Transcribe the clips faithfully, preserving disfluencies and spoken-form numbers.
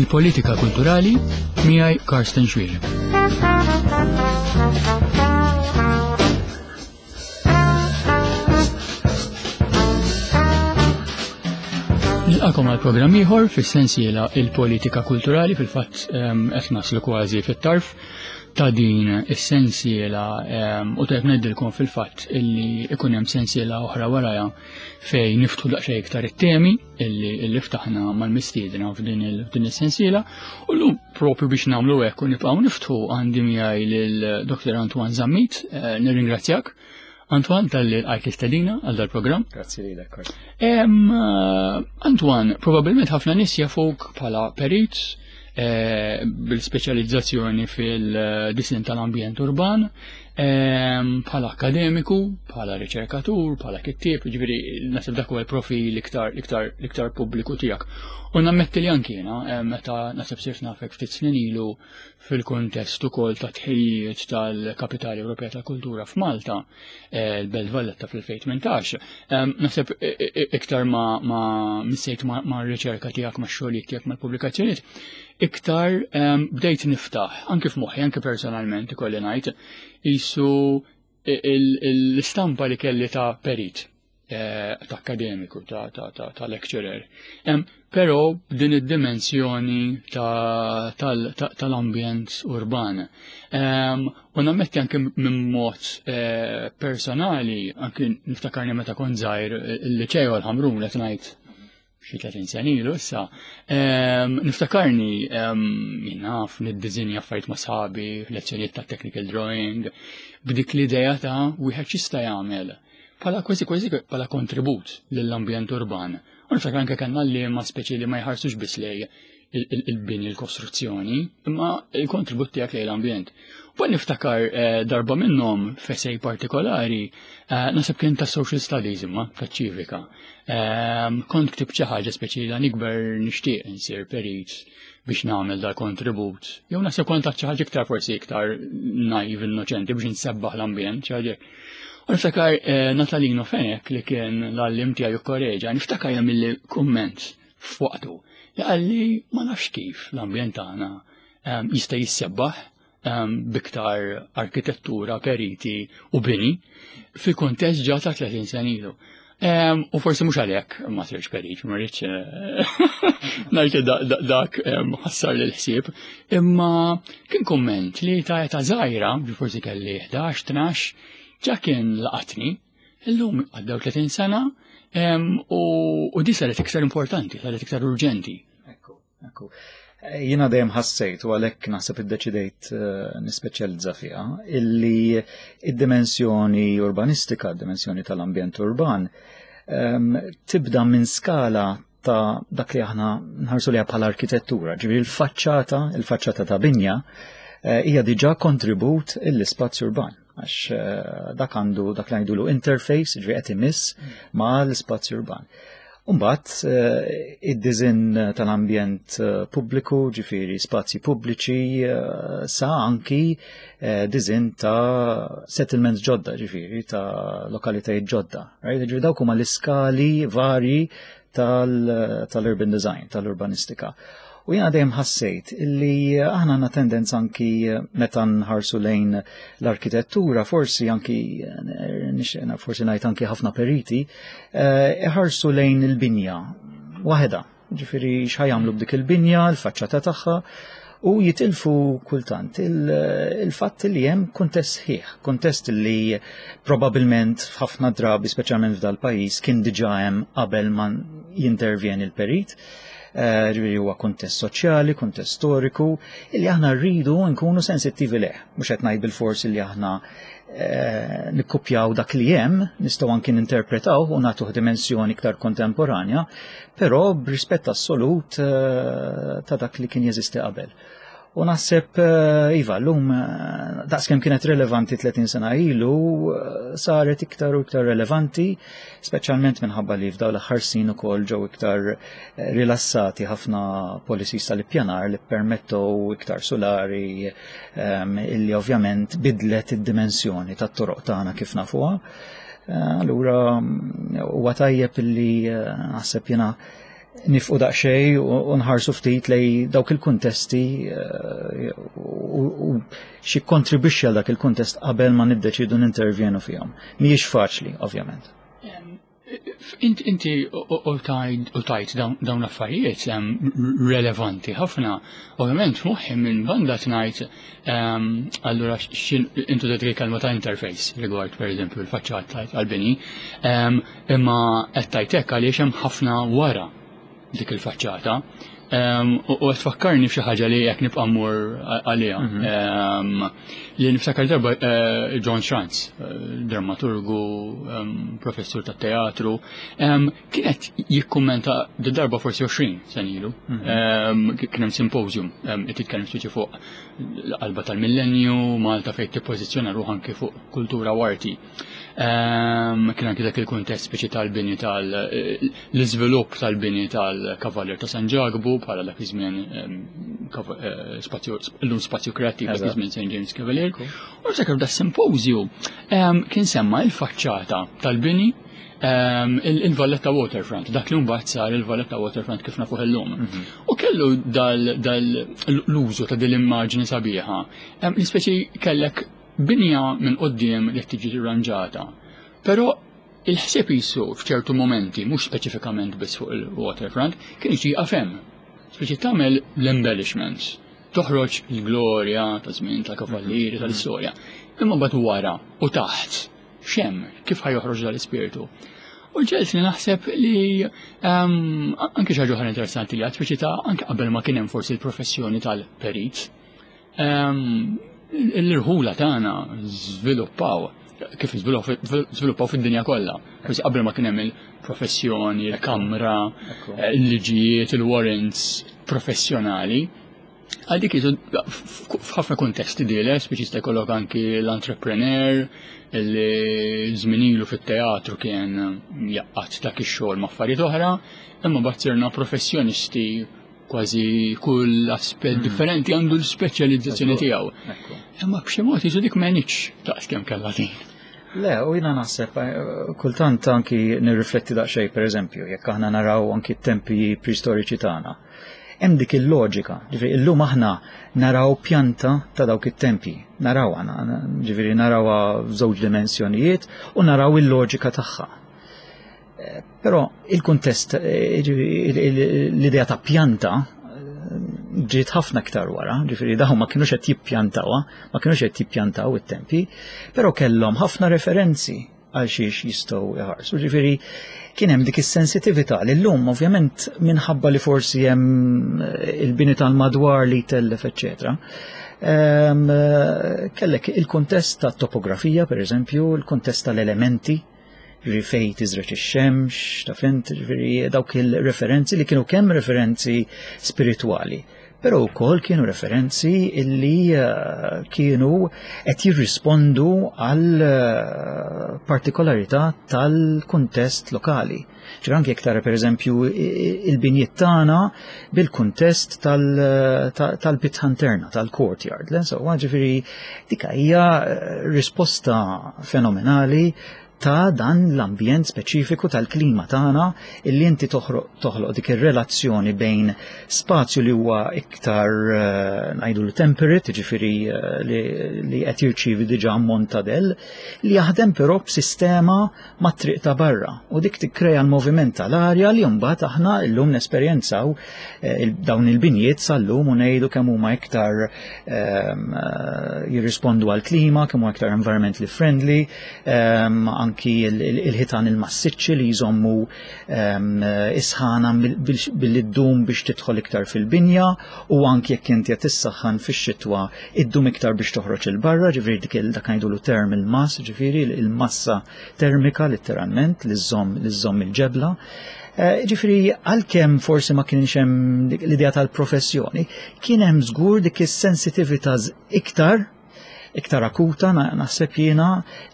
Il-politika kulturali miegħi Karsten Xuereb. Nilqakom għal programm ieħor fis-sensiela Il-politika kulturali. Fil-fatt qed naslu kważi fit-tarf ta' din is-sensiela u tajb ngħidilkom fil-fatt illi ikun hemm sensiela oħra warajha fejn niftħu daqsxejn iktar it-temi illi illi ftaħna mal-mistiedna f'din il- is-sensiela, u llum propju biex nagħmlu hekk u nibqgħu niftħu għandi miegħi lil Doktor Antoine Zammit. eh, Nirringrazzjak, Antoine, talli lqajt l-istedina għal dal-programm. Grazzi lilek. Eh, Antoine, probabbilment ħafna nies jafuk bħala perit eh, bil-speċjalizzazzjoni fil-disin tal-ambjent urban, bħala akademiku, bħala riċerkatur, bħala kittieb, ġifieri naħseb dak huwa l-profil iktar iktar iktar pubbliku tiegħek. U nammetti li anki jiena meta naħseb sirt nafek ftit snin ilu fil-kuntest ukoll ta' tħejjiet tal-Kapitali Ewropea tal-Kultura f'Malta, eh, l-Belt Valletta fl-elfejn u tmintax, naħseb iktar ma ma missejt ma' riċerka tiegħek, ma' xogħlijiet tiegħek, mal-pubblikazzjonijiet, iktar bdejt niftaħ, anki f'moħħi, anki personalment ikolli ngħid, jisu l-istampa li kelli ta' perit, eh, ta' akademiku, ta', ta, ta, ta lecturer. Però din id-dimensjoni tal-ambjent urban. U nammetti anke minn mod eh, personali, anke niftakarni meta kont żgħir il-liċeo l-Ħamrun, qed ngħid xi tletin sena ilu issa. Niftakarni jien naf niddiżinja affarijiet ma' sħabi, lezzjonijiet ta' technical drawing, b'dik l-idea ta' wieħed x'jista' jagħmel bħala kważi kważi bħala kontribut lill-ambjent urban. U niftakar anke kellna li ma speċi li ma jħarsux biss lej il-bini, l-kostruzzjoni, imma il-kontribut tiegħek lejn l-ambjent. U niftakar eh, darba minnhom f'essay partikolari, eh, naħseb kien ta' social studies imma ta' ċivika. Ehm, kont ktibt xi ħaġa speċi la nikber nixtieq insir perit biex nagħmel dal kontribut. Jew naħseb kont xi ħaġa iktar forsi iktar naiv, innoċenti, biex nsebbaħ l-ambjent, xi ħaġa. U niftakar eh, Natalino Fenech, li kien l-għalliem tiegħi korreġa, niftakar jagħmilli kumment f'waqtu li qalli ma nafx kif l-ambjent tagħna ehm, jista' jissebbaħ ehm, biktar arkitettura, periti u bini fil-kontest ġa ta' tletin sena ilu. Ehm, u forsi mhux għalhekk ma sirx perit, ma rridx eh, ngħid dak ħassar l ħsieb, imma kien kumment li ta' età żgħira, forsi kelli ħdax, tnax, ġa kien laqatni. Illum għaddew tletin sena u di saret iktar importanti, saret iktar urġenti. Ekku, ekku. Jiena dejjem ħassejt, u għalhekk naħseb iddeċidejt eh, nispeċjalizza fiha, illi id-dimensjoni urbanistika, id-dimensjoni tal-ambjent urban, tibda minn skala ta' dak li aħna nħarsu li bħala arkitettura, ġifieri il-faċċata, il-faċċata ta' binja eh, hija diġà kontribut l-ispazju urban, għax eh, dak għandu dak li ngħidulu interface, ġifieri qed imiss ma' l-ispazju urban. Umbagħad eh, id-design tal-ambjent eh, pubbliku, ġifieri spazji pubbliċi, sa anki design ta' settlements ġodda, ġifieri ta' lokalitajiet ġodda. Ġifieri dawk huma l-iskali vari tal-urban design, tal-urbanistika. U jena dejjem ħassejt illi aħna għandna tendenza, anki meta nħarsu lejn l-arkitettura, forsi anki forsi ngħid anki ħafna periti, eh, iħarsu lejn il-binja waħedha. Ġifieri x'ħa jagħmlu b'dik il-binja, l-faċċata tagħha, u jitilfu kultant il-fatt li hemm kuntest sħiħ, kuntest li probabilment f'ħafna drabi, speċjalment f'dal pajjiż, kien diġà hemm qabel ma jintervjeni l-perit. Eh, ġifieri huwa kuntest soċjali, kuntest storiku, illi aħna rridu nkunu sensittivi leh. Mhux qed ngħid bil-fors illi aħna eh, nikkupjaw dak li hemm, nistgħu anki ninterpretaw u nagħtuh dimensjoni iktar kontemporanja, però b'rispett assolut eh, ta' dak li kien jeżisti qabel. U naħseb, iva, l-lum, daqskemm kienet relevanti tletin sena ilu, saret iktar u iktar relevanti, speċjalment minħabba li f'daw l-aħħar snin ukoll ġew iktar rilassati ħafna policies tal-ippjanar li permettu iktar solari, illi ovvjament bidlet id-dimensjoni tat-toroq tagħna kif nafuha. Allura huwa tajjeb illi naħseb jiena Nieqfu daqsxejn u nħarsu ftit lejn dawk il-kuntesti eh, u x'jikkontribwixxi għal dak il-kuntest qabel ma niddeċidu nintervjenu fihom. Mhijiex faċli, ovvjament. Inti u tajt dawn l-affarijiet relevanti ħafna. Ovvjament, moħħi minn banda tnajt, allura intu dik kelma ta' interface rigward, per eżempju, il-faċċata għal-bini, imma qed tajtek għaliex hemm ħafna wara dik il-faċċata. U qed tfakkarni f'xi ħaġa li jekk nibqa' mmur għaliha. Mhm. Li niftakar darba eh, John Schranz, eh, drammaturgu, professur ta' teatru, kienet jikkummenta darba forsi għoxrin sena ilu. Mhm. Kien hemm symposium qed jitkellem speċi fuq l-qalba tal-millenju, Malta fejn tippożizzjona ruħha anke fuq kultura u arti. Kien anke dak il-kuntest speċi tal-bini tal-iżvilupp tal-bini tal-Kavalier ta' San Ġakbu bħala dak iż-żmien eh, spazju, illum Spazju Kreattiv, dak iż-żmien Saint James Cavalier. U niftakar da symposium kien semma il-faċċata tal-bini il-Valletta Waterfront, dak li mbagħad sar il-Valletta Waterfront kif nafuh illum. Mhm. U kellu dal-użu ta' din l-immaġni sabiħa. L-ispeċi kellek binja minn quddiem li tiġi rranġata. Però il-ħsieb jisu f'ċertu momenti, mhux speċifikament biss fuq il-waterfront, kien jiġi għafem. Speċi tagħmel l-embellishments, toħroġ il-glorja ta' żmien ta' kavallieri tal-istorja. Imma mbagħad wara u taħt, x'hemm, kif ħa joħroġ dal-ispirtu? U ġelt li naħseb li um, anke xi ħaġa oħra interessanti li għad speċi ta' anke qabel ma kien hemm forsi l-professjoni tal-perit. Um, l-irħula tagħna żviluppaw kif żviluppaw fid-dinja kollha. Forsi qabel ma kien hemm il-professjoni, il-kamra, il-liġijiet, il-warrants professjonali. Għal dik jisu f'ħafna kontesti dile, speċi jista' jkollok anki l-entrepreneur li żminilu fit-teatru kien jgħaqqad dak ix-xogħol ma' affarijiet oħra, imma mbagħad sirna professjonisti, kważi kull aspett differenti għandu l-speċjalizzazzjoni tiegħu. Imma b'xi mod jisu dik m'għenitx daqs kemm kellha din. Le, u jiena naħseb, eh, kultant anki nirrifletti daqsxejn, per eżempju, jekk aħna naraw anki t-tempi preistoriċi tagħna. Hemm dik il-loġika, ġifieri illum aħna naraw pjanta ta' dawk it-tempi, naraw aħna, ġifieri narawha f'żewġ dimensjonijiet u naraw il-loġika tagħha. Eh, Però il-kuntest, eh, ġifieri, l-idea ta' pjanta eh, ġiet ħafna iktar wara, ġifieri dawn ma kienux qed jippjantawha, ma kienux qed jippjantaw it-tempi, però kellhom ħafna referenzi għal xiex jistgħu jħarsu. Ġifieri kien hemm dik is-sensitività li llum ovvjament minħabba li forsi hemm il-bini tal-madwar li tellef, eċċetera. Ehm, Kellek il-kuntest tat-topografija, per eżempju, il-kuntest tal-elementi, ġifieri fej tiżreġ ix-xemx, ta' fint, ġifieri dawk il-referenzi li kienu kemm referenzi spiritwali, però wkoll kienu referenzi illi eh, kienu qed jirrispondu għal eh, partikolarità tal-kuntest lokali. Ġifieri anke jekk tara, per eżempju, il-binjiet tagħna bil-kuntest tal-bitħa interna, tal-courtyard. Le? So, ġifieri dik hija eh, risposta fenomenali ta' dan l-ambjent speċifiku tal-klima tagħna illi inti toħloq dik ir-relazzjoni bejn spazju li huwa iktar eh, ngħidu temperate, ġifieri eh, li qed jirċievi diġà ammont ta' del, li jaħdem però b'sistema mat-triq ta' barra u dik tikkrea l-moviment tal-arja li mbagħad aħna llum nesperjenzaw eh, dawn il-binjiet sal-lum u ngħidu kemm huma iktar ehm, jirrispondu għall-klima, kemm huma iktar environmentally friendly, ehm, anki il-ħitan il-massiċċi li jżommu ehm, is-sħana billi ddum biex tidħol iktar fil-binja u anki jekk inti qed tissaħħan fix-xitwa iddum iktar biex toħroġ il-barra, ġifieri dik dak ngħidulu thermal mass, ġifieri il-massa termika letteralment li żżomm li żżomm il-ġebla. Eh, ġifieri għalkemm forsi ma kienx hemm l-idea tal-professjoni, kien hemm żgur dik is-sensitività iktar iktar akuta, naħseb jiena,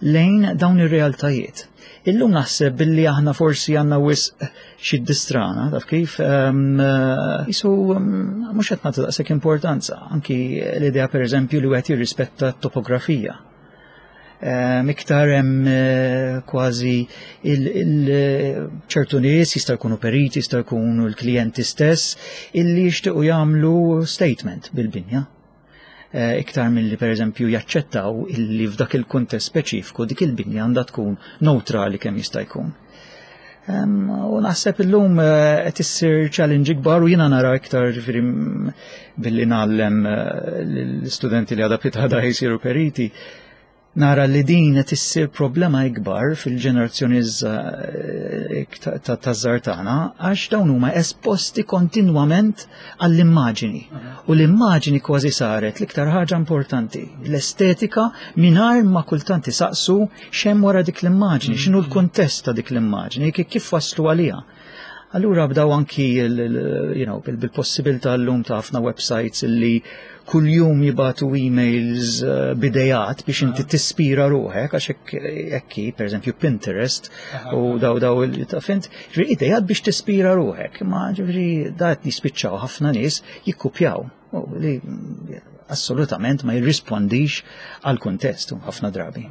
lejn dawn ir-realtajiet. Illum naħseb billi aħna forsi għandna wisq xi distrana, taf kif, jisu mhux qed nagħtu daqshekk importanza, anki l-idea, per eżempju, li wieħed jirrispetta t-topografija. Iktar hemm kważi ċertu nies jista' jkunu periti, jista' jkunu l-klijenti stess illi jixtiequ jagħmlu statement bil-binja. Iktar milli pereżempju jaċċettaw illi f'dak il-kuntest speċifiku dik il-binja għandha tkun neutrali kemm jista' jkun. U naħseb illum qed issir challenge ikbar u jiena nara iktar ġifieri billi ngħallem l-istudenti li għadha pitgħada jsiru periti, nara li din qed issir problema ikbar fil-ġenerazzjoni taż-żgħar tagħna għax dawn huma esposti kontinwament għall-immaġini. U l-immaġini kważi saret l-iktar ħaġa importanti, l-estetika mingħajr ma kultant isaqsu x'hemm wara dik l-immaġini, x'inhu l-kuntest ta' dik l-immaġini, kif waslu għaliha. Allura bdaw anki you know, bil-possibilità llum ta' ħafna websites illi kuljum jibatu emails b'idejat biex inti tispira ruħek, għax hekk, pereżempju Pinterest u daw daw fint, ġifieri idejat biex tispira ruħek, ma ġifieri da qed jispiċċaw ħafna nies jikkupjaw li assolutament ma jirrispondix għal kuntest ħafna drabi.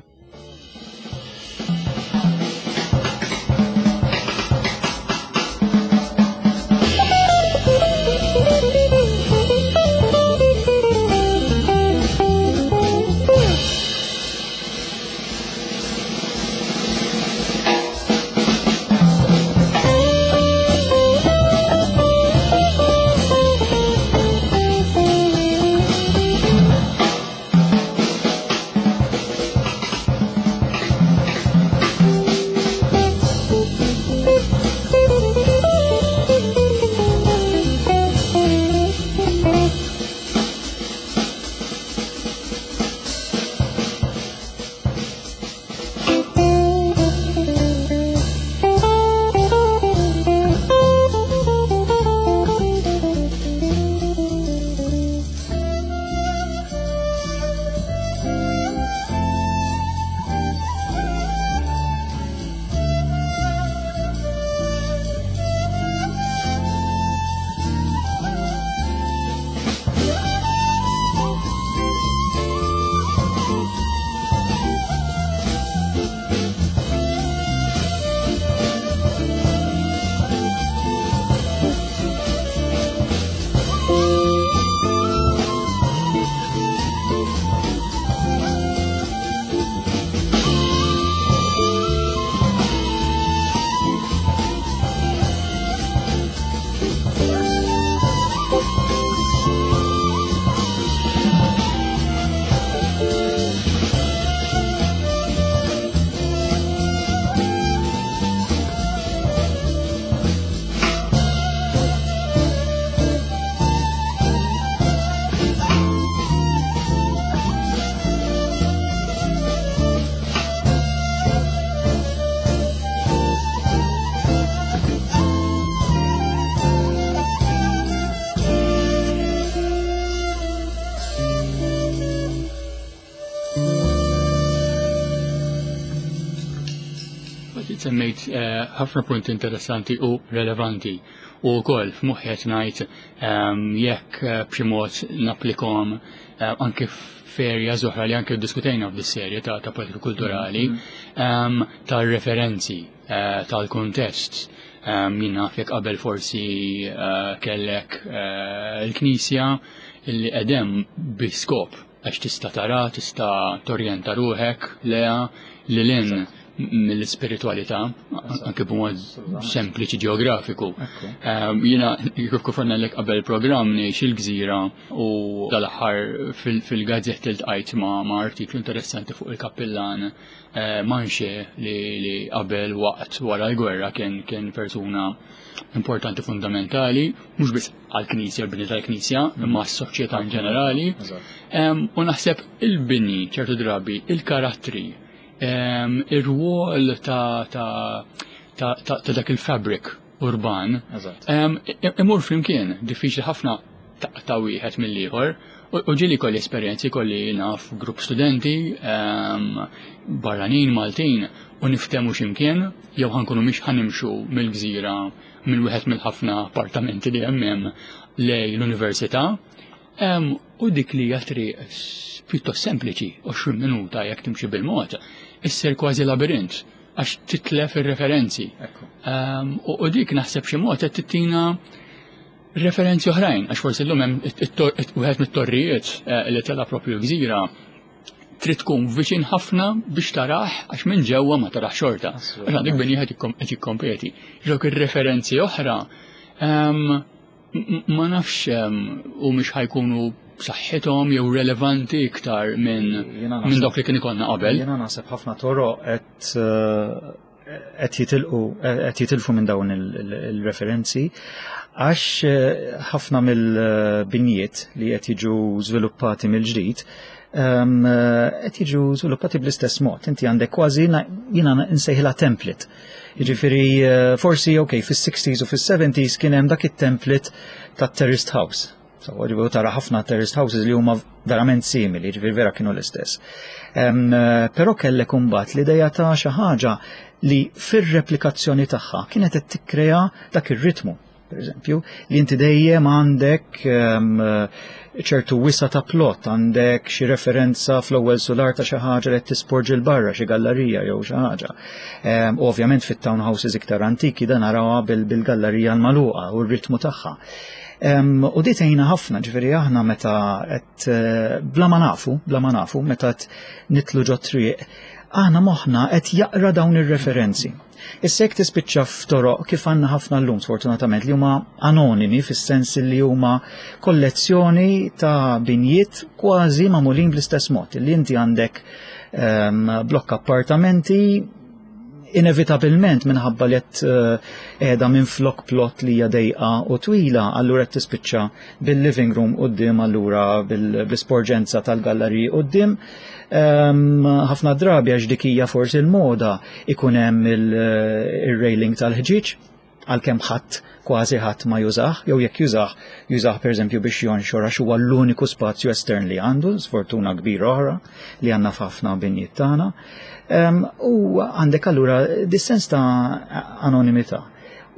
Semmejt ħafna punti interessanti u relevanti u wkoll f'moħħi qed ngħid jekk b'xi mod napplikhom anke f'erja oħra li anke ddiskutejna f'dis-serje ta' politika kulturali tar-referenzi tal-kuntest. Jien naf jekk qabel forsi kellek il-Knisja illi qegħdem bi skop għax tista' tara, tista' torjenta ruħek leha lil hinn mill-spiritualità, anke b'mod sempliċi ġeografiku. Jiena kif kif lek qabel programm ngħix il-gżira u dal-aħħar fil-gazzett iltqajt ma' artiklu interessanti fuq il-kappillan Manxe li qabel waqt wara l-gwerra kien kien persuna importanti fundamentali, mhux biss għall-Knisja, l-bini tal-Knisja, imma s-soċjetà in ġenerali. U naħseb il-bini ċertu drabi, il-karattri, ir-rwol ta' ta' dak il-fabric urban imur flimkien, diffiċli ħafna ta' wieħed mill-ieħor. U ġieli kolli esperjenzi, kolli naf grupp studenti barranin Maltin u niftemu x'imkien jew ħankunu mhix ħanimxu mill-gżira minn wieħed mill-ħafna appartamenti li hemm hemm lej l-università. U dik li hija triq pjuttost sempliċi, għoxrin minuta jekk timxi bil-mod, issir kważi labirint għax titlef ir-referenzi. Um, u, u dik naħseb xi mod qed tittina referenzi oħrajn, għax forsi llum hemm wieħed mit-torrijiet eh, li tela propju gżira trid tkun viċin ħafna biex tarah, għax minn ġewwa ma tarax xorta. Għax għandek bini qed jikkompeti. Dawk ir-referenzi oħra um, ma nafx um, u mhux ħa jkunu b'saħħithom jew relevanti iktar minn minn dawk li kien ikollna qabel. Jiena naħseb ħafna toroq qed eh, qed jitilqu qed jitilfu minn dawn il-referenzi għax eh, ħafna mill-binjiet li qed jiġu żviluppati mill-ġdid ehm, qed jiġu żviluppati bl-istess mod. Inti għandek kważi, jiena nsejħilha, template. Jiġifieri eh, forsi, ok, fis-sixties u fis-seventies kien hemm dak it-template tat terraced house. So, ġifieri tara ħafna terraced houses li huma verament simili, ġifieri vera kienu l-istess. Um, però kellek imbagħad l-ideja ta' xi ħaġa li fir-replikazzjoni tagħha kienet qed tikkrea dak ir-ritmu, per eżempju, li inti dejjem għandek ċertu wisa ta' plot, għandek xi referenza fl-ewwel solar ta' xi ħaġa li tisporġi 'l barra, xi gallerija jew xi ħaġa. Ovvjament fit-townhouses iktar antiki dan narawha bil-gallerija l-magħluqa u r-ritmu tagħha. U di tgħinna ħafna, ġifieri aħna meta qed eh, bla ma nafu, bla ma nafu, meta qed nidħlu ġo triq, aħna moħħna qed jaqra dawn ir-referenzi. Issa jekk tispiċċa f'toroq kif għandna ħafna llum, sfortunatament, li huma anonimi fis-sens li huma kollezzjoni ta' binjiet kważi magħmulin bl-istess mod, li inti għandek um, blokk appartamenti, inevitabilment minħabba li qed eh, qiegħda minn flok plot li hija dejqa u twila, allura qed tispiċċa bil-living room quddiem, allura bil-sporġenza tal-galleriji quddiem. Ħafna drabi, għax dik hija forsi l-moda, ikun hemm il-railing tal-ħġieġ, għalkemm ħadd, kważi ħadd ma jużah, jew jekk jużah, jużah pereżempju biex jonxor għax huwa l-uniku spazju estern li għandu, sfortuna kbira oħra li għandna f'ħafna binjiet tagħna. U għandek allura dis-sens ta' anonimità.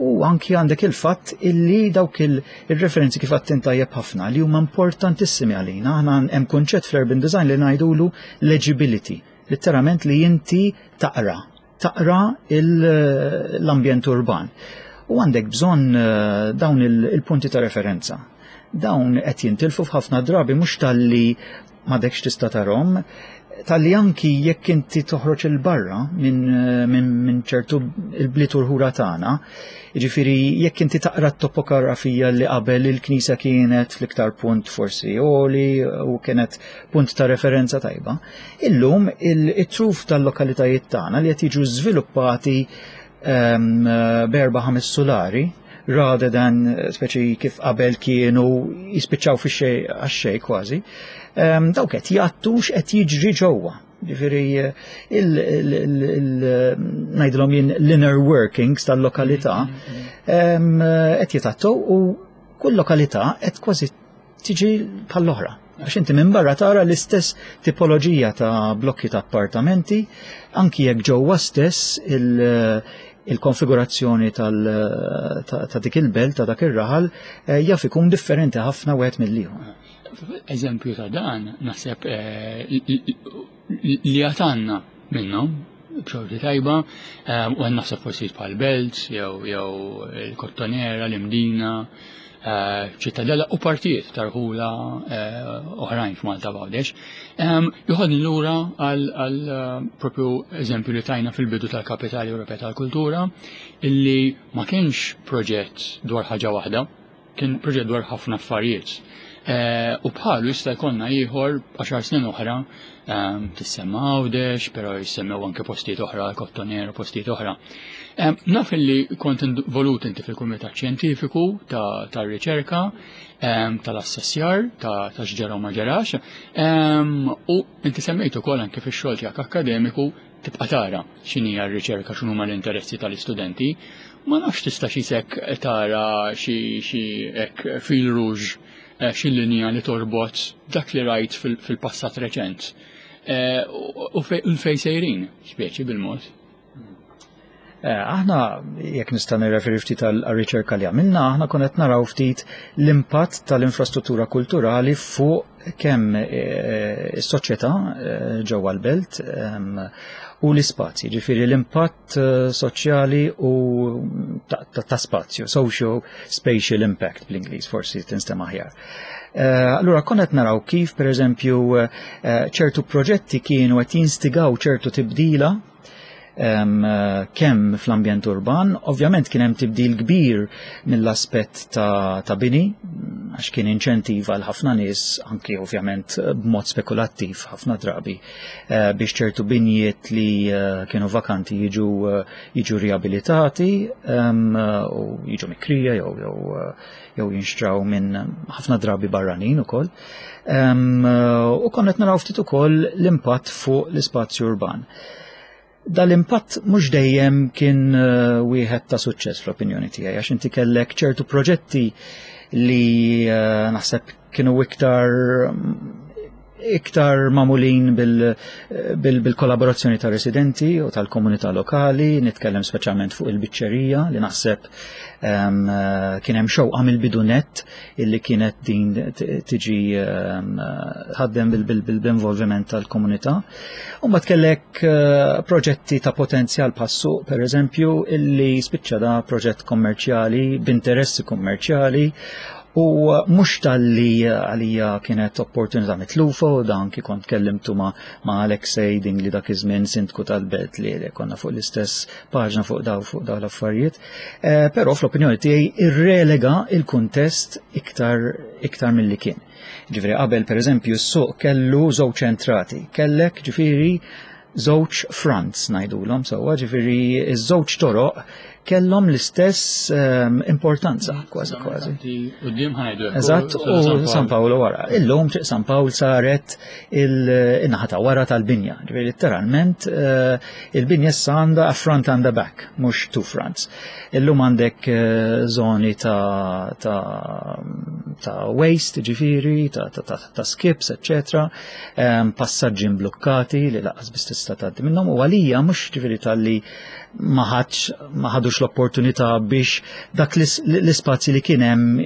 U anki għandek il-fatt illi dawk il-referenzi, kif għedt int tajjeb ħafna, li huma importantissimi għalina. Aħna hemm kunċett fl-urban design li ngħidulu legibility, letteralment li inti taqra, taqra l-ambjent urban. U għandek bżonn eh, dawn il-punti ta' referenza. Dawn qed jintilfu f'ħafna drabi, mhux talli m'għadekx tista' tarahom, talli anki jekk inti toħroġ 'il barra minn min, min ċertu il-bliet urħura tagħna, jiġifieri jekk inti taqra t-topografija li qabel il-knisja kienet fl-iktar punt forsi għoli u kienet punt ta' referenza tajba, illum il-truf tal-lokalitajiet tagħna li qed jiġu żviluppati um, b'erba' ħames solari rather than speċi kif qabel kienu jispiċċaw fi xej għax-xej kważi, um, dawk qed jgħattu x'qed jiġri ġewwa. Ġifieri ngħidilhom jien l-inner workings tal-lokalità qed jitgħattu u kull lokalità qed kważi tiġi bħall-oħra. Għax inti minn barra tara l-istess tipoloġija ta' blokki ta' appartamenti, anki jekk ġewwa stess il-konfigurazzjoni ta' dik il-belt, ta' dak ir-raħal, eh, jaf ikun differenti ħafna wieħed mill-ieħor. Eżempju ta' dan, naħseb eh, li għatanna minnhom b'xorti tajba, eh, u għan naħseb forsi bħal Belt, jew jew il-Kottonera, l-Imdina, Ċittadella u partijiet tarħula oħrajn f'Malta, Għawdex. Joħodni lura għal propju eżempju li tajna fil-bidu tal-Kapitali Ewropea tal-Kultura, illi ma kienx proġett dwar ħaġa waħda, kien proġett dwar ħafna affarijiet. U bħalu jista' jkollna ieħor għaxar snin oħra, tissemma Għawdex, però jissemmew anke postijiet oħra, Kottonera, postijiet oħra. Naf li kont involut inti fil-Kumitat Xjentifiku ta' riċerka tal-assessjar ta' x'ġara u ma ġarax, u inti semmejtu ukoll anke fix-xogħol tiegħek akkademiku tibqa' tara x'inhi r-riċerka, x'inhuma l-interessi tal-istudenti. Ma nafx tista' xi sek tara xi xi hekk fil rouge, xi linja li torbot dak li rajt fil-passat reċent u fejn sejrin, speċi bil-mod. Eh, aħna, jekk nista' nirreferi ftit għal-riċerka li għamilna, aħna konna qed naraw ftit l-impatt tal-infrastruttura kulturali fuq kemm eh, is-soċjetà eh, ġewwa l-belt ehm, u l-ispazji, ġifieri l-impatt soċjali u ta' spazju, social spatial impact bl-Ingliż forsi tinstema' aħjar. Allura konna qed naraw kif, pereżempju, ċertu proġetti kienu qed jinstigaw ċertu tibdila kemm fl-ambjent urban. Ovvjament kien hemm tibdil kbir mill-aspett ta', ta bini, għax kien inċentiva għal ħafna nies, anki ovvjament b'mod spekulattiv ħafna drabi, eh, biex ċertu binjiet li eh, kienu vakanti jiġu eh, jiġu riabilitati u jiġu mikrija jew jew jew jinxtraw minn ħafna drabi barranin ukoll. U konna naraw ftit ukoll l-impatt fuq l-ispazju urban. Dal-impatt mhux dejjem kien uh, wieħed ta' suċċess fl-opinjoni tiegħi, għax inti kellek ċertu proġetti li uh, naħseb kienu iktar iktar magħmulin bil-kollaborazzjoni bil, bil ta' residenti u tal-komunità lokali, nitkellem speċjalment fuq il-biċċerija li naħseb um, kien hemm xewqa mill-bidu nett illi kienet din tiġi um, ħaddem bil-involviment tal-komunità. U mbagħad kellek uh, proġetti ta' potenzjal bħas-suq, per eżempju, illi spiċċa da proġett kommerċjali b'interessi kummerċjali u mhux talli għalija kienet opportunità mitlufa, u dan kif kont kellimtu ma, ma Alexei Dingli, dak iż-żmien sindku tal-belt, li konna fuq l-istess paġna fuq daw fuq daw l-affarijiet. Eh, però fl-opinjoni tiegħi irrelega il-kuntest iktar iktar milli kien. Ġifieri qabel, pereżempju, s-suq kellu żewġ entrati, kellek ġifieri żewġ fronts ngħidulhom sewwa, ġifieri iż-żewġ toroq kellhom l-istess um, importanza kważi kważi. Eżatt, u San Paolo wara. Illum Triq San Pawl saret il-naħa ta' wara tal-binja. Ġifieri letteralment uh, il-binja issa għandha a front and a back, mhux two fronts. Illum għandek uh, zoni ta', ta, ta waste, ġifieri, ta', ta, ta, ta skips, eccetera, um, passaġġi mblukkati li lanqas biss tista' tgħaddi minnhom, u għalija mhux ġifieri talli ma ħadux l-opportunità biex dak l-ispazji li kien hemm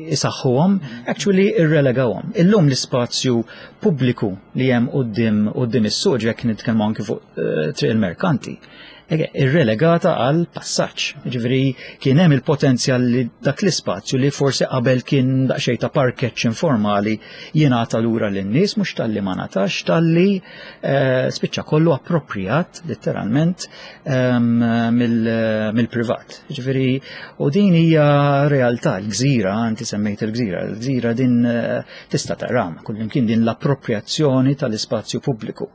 isaħħuhom, actually irrelegawhom. Illum l-ispazju pubbliku li hemm quddiem quddiem is-suq, jekk nitkellmu anki fuq eh, Triq il-Merkanti, irrelegata għal passaġġ. Ġifieri kien hemm il-potenzjal li dak l-ispazju li forsi qabel kien daqsxejn ta' parkeġġ informali jingħata lura lin-nies, mhux talli ma ngħatax, talli eh, spiċċa kollu appropriat letteralment ehm, mill-privat. Ġifieri u din hija realtà l-Gżira, inti semmejt il-Gżira, il-Gżira din eh, tista' tara kullimkien din l-appropriazzjoni tal-ispazju pubbliku.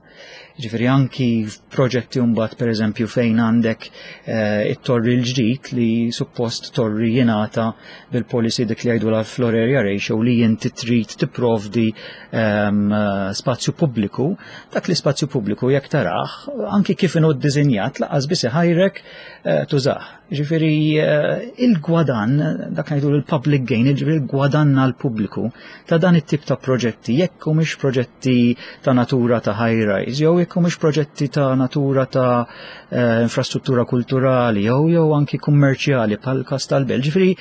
Ġifieri anki proġetti mbagħad, pereżempju, fejn għandek eh, it-torri l-ġdid li suppost torri jingħata bil-policy dik li jgħidu la floor area ratio, li inti trid tipprovdi ehm, spazju pubbliku, dak l-ispazju pubbliku jekk tarah anki kif inhu ddisinjat lanqas biss iħajrek eh, tużah. Ġifieri eh, il-gwadan, dak ngħidu l-public gain, ġifieri il-gwadan għal-pubbliku ta' dan it-tip ta' proġetti, jekk mhux proġetti ta' natura ta' high rise, jew jekk mhux proġetti ta' natura ta' eh, infrastruttura kulturali jew jew anki kummerċjali bħal kas tal-Belt. Ġifieri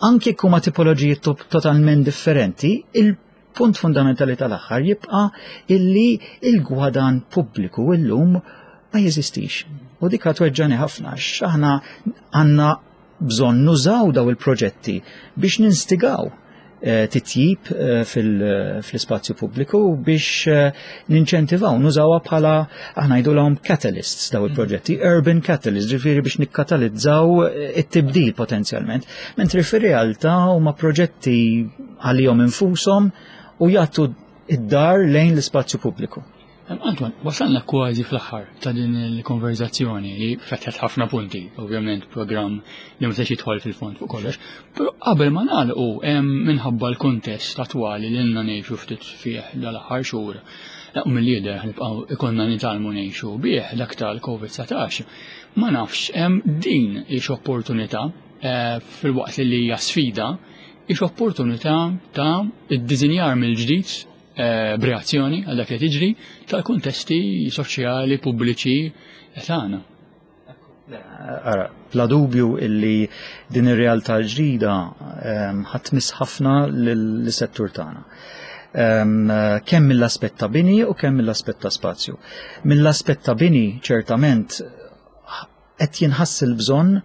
anki jekk huma tipoloġiji totalment differenti, il-punt fundamentali tal-aħħar jibqa' illi il-gwadan pubbliku illum ma jeżistix. U dik tweġġani ħafna, aħna għandna bżonn nużaw daw il-proġetti biex ninstigaw eh, titjib eh, fil-spazju pubbliku, biex eh, ninċentivaw, nużawha bħala, aħna ngħidulhom catalysts daw il-proġetti, urban catalysts, ġifieri biex nikkatalizzaw it-tibdil potenzjalment. Mentri fir-realtà huma proġetti għalihom infushom u jagħtu id-dahar lejn l-ispazju pubbliku. Antoine, wasalna kważi fl-aħħar ta' din il-konverzazzjoni li fetħet ħafna punti, ovvjament program li ma jidħol fil-fond fuq kollox, però qabel ma nagħlqu, minħabba l-kuntest attwali li ilna ngħixu ftit fih dal-aħħar xhur, u mill-lider nibqgħu ikollna nitgħallmu ngħixu bih, dak tal-Covid dsatax, ma nafx hemm din hix opportunità eh, filwaqt li hija sfida, hix opportunità ta' id-dizinjar mill-ġdid Eh, b'reazzjoni għal dak li tiġri tal-kuntesti soċjali pubbliċi tagħna. Ara, bla dubju illi din ir-realtà l-ġdida ehm, ħa tmiss ħafna lis-settur tagħna. Ehm, kemm mill-aspett ta' bini u kemm mill-aspett ta' spazju. Mill-aspett ta' bini, ċertament qed jinħass il-bżonn,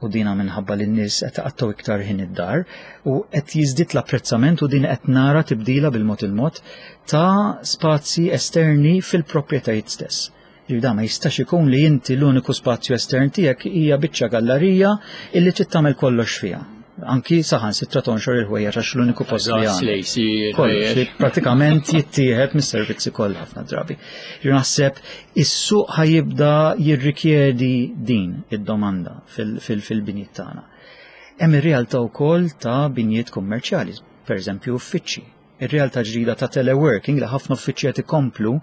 u dina minħabba li n-nies qed iqattgħu iktar ħin id-dar u qed jiżdied l-apprezzament, u din qed nara tibdila bil-mod il-mod ta' spazji esterni fil-proprjetajiet stess. Ġifieri ma jistax ikun li inti l-uniku spazju estern tiegħek hija biċċa gallerija illi trid tagħmel kollox fiha. Anki saħansitra tonxor il-ħwejjeġ, għax l-uniku post li għandek. Kollox li pratikament jittieħed mis-servizzi kollha ħafna drabi. Jien naħseb is-suq ħa jibda jirrikjedi din id-domanda fil-binjiet tagħna. Hemm ir-realtà wkoll ta' binjiet kummerċjali, pereżempju uffiċċji. Ir-realtà ġdida ta' teleworking, li ħafna uffiċċji qed ikomplu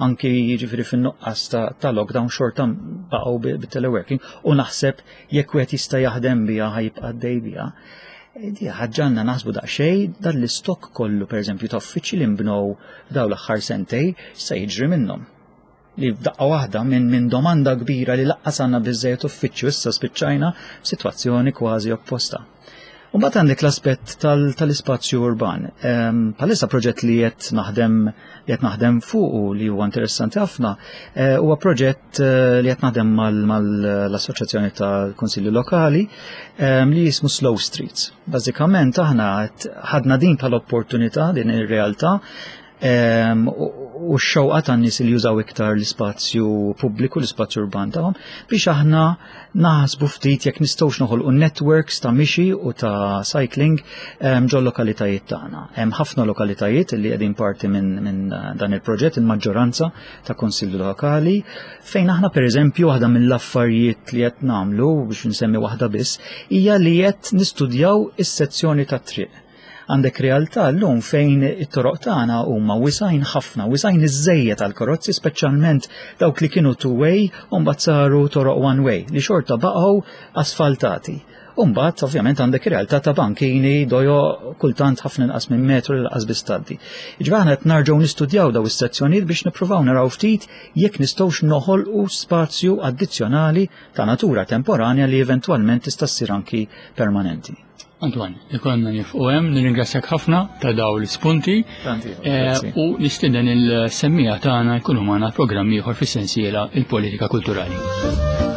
anki, jiġifieri, fin-nuqqas ta', ta lockdown xorta baqgħu bit-teleworking, u naħseb jekk wieħed jista' jaħdem biha, ħa jibqa' għaddej biha. Di ħa ġġagħalna naħsbu daqsxejn dan l-istok kollu, pereżempju, ta' uffiċċji li nbnew dawn l-aħħar sentejn, se jiġri minnhom. Li f'daqqa waħda minn min domanda kbira li lanqas għandna biżejjed uffiċċju, issa spiċċajna f'sitwazzjoni kważi opposta. U mbagħad għandek l-aspett tal-ispazju urban. Bħalissa proġett li qed naħdem li qed naħdem fuq u li huwa interessanti ħafna eh, huwa proġett eh, li qed naħdem mal-Assoċjazzjoni tal-Kunsilli Lokali li jismu Slow Streets. Bażikament aħna ħadna din bħala opportunità, din ir-realtà u x-xewqa tan-nies li jużaw iktar l-ispazju pubbliku, l-ispazju urban tagħhom, biex aħna naħsbu ftit jekk nistgħux noħolqu networks ta' mixi u ta' cycling ġol lokalitajiet tagħna. Hemm ħafna lokalitajiet li qegħdin parti minn min dan il-proġett, il-maġġoranza ta' kunsilli lokali, fejn aħna, pereżempju, waħda mill-affarijiet li qed nagħmlu, biex nsemmi waħda biss, hija li qed nistudjaw is-sezzjoni tat-triq. Għandek realtà llum fejn it-toroq tagħna huma wisgħin ħafna, wisgħin iżżejjed għal karozzi, speċjalment dawk li kienu two-way u mbagħad saru toroq one-way li xorta baqgħu asfaltati. U mbagħad ovvjament għandek realtà ta' bankini dojo kultant ħafna inqas minn metru li lanqas biss tgħaddi. Ġifieri aħna qed nerġgħu nistudjaw daw is-sezzjonijiet biex nippruvaw naraw ftit jekk nistgħux noħolqu spazju addizzjonali ta' natura temporanja li eventwalment tista' ssir anki permanenti. Antoine, ikollna nieqfu hemm, nirringrazzjak ħafna ta' daw l-ispunti eh, u nistieden il-semmiegħa tagħna jkunu magħna programm ieħor fis-sensiela Il-Politika Kulturali.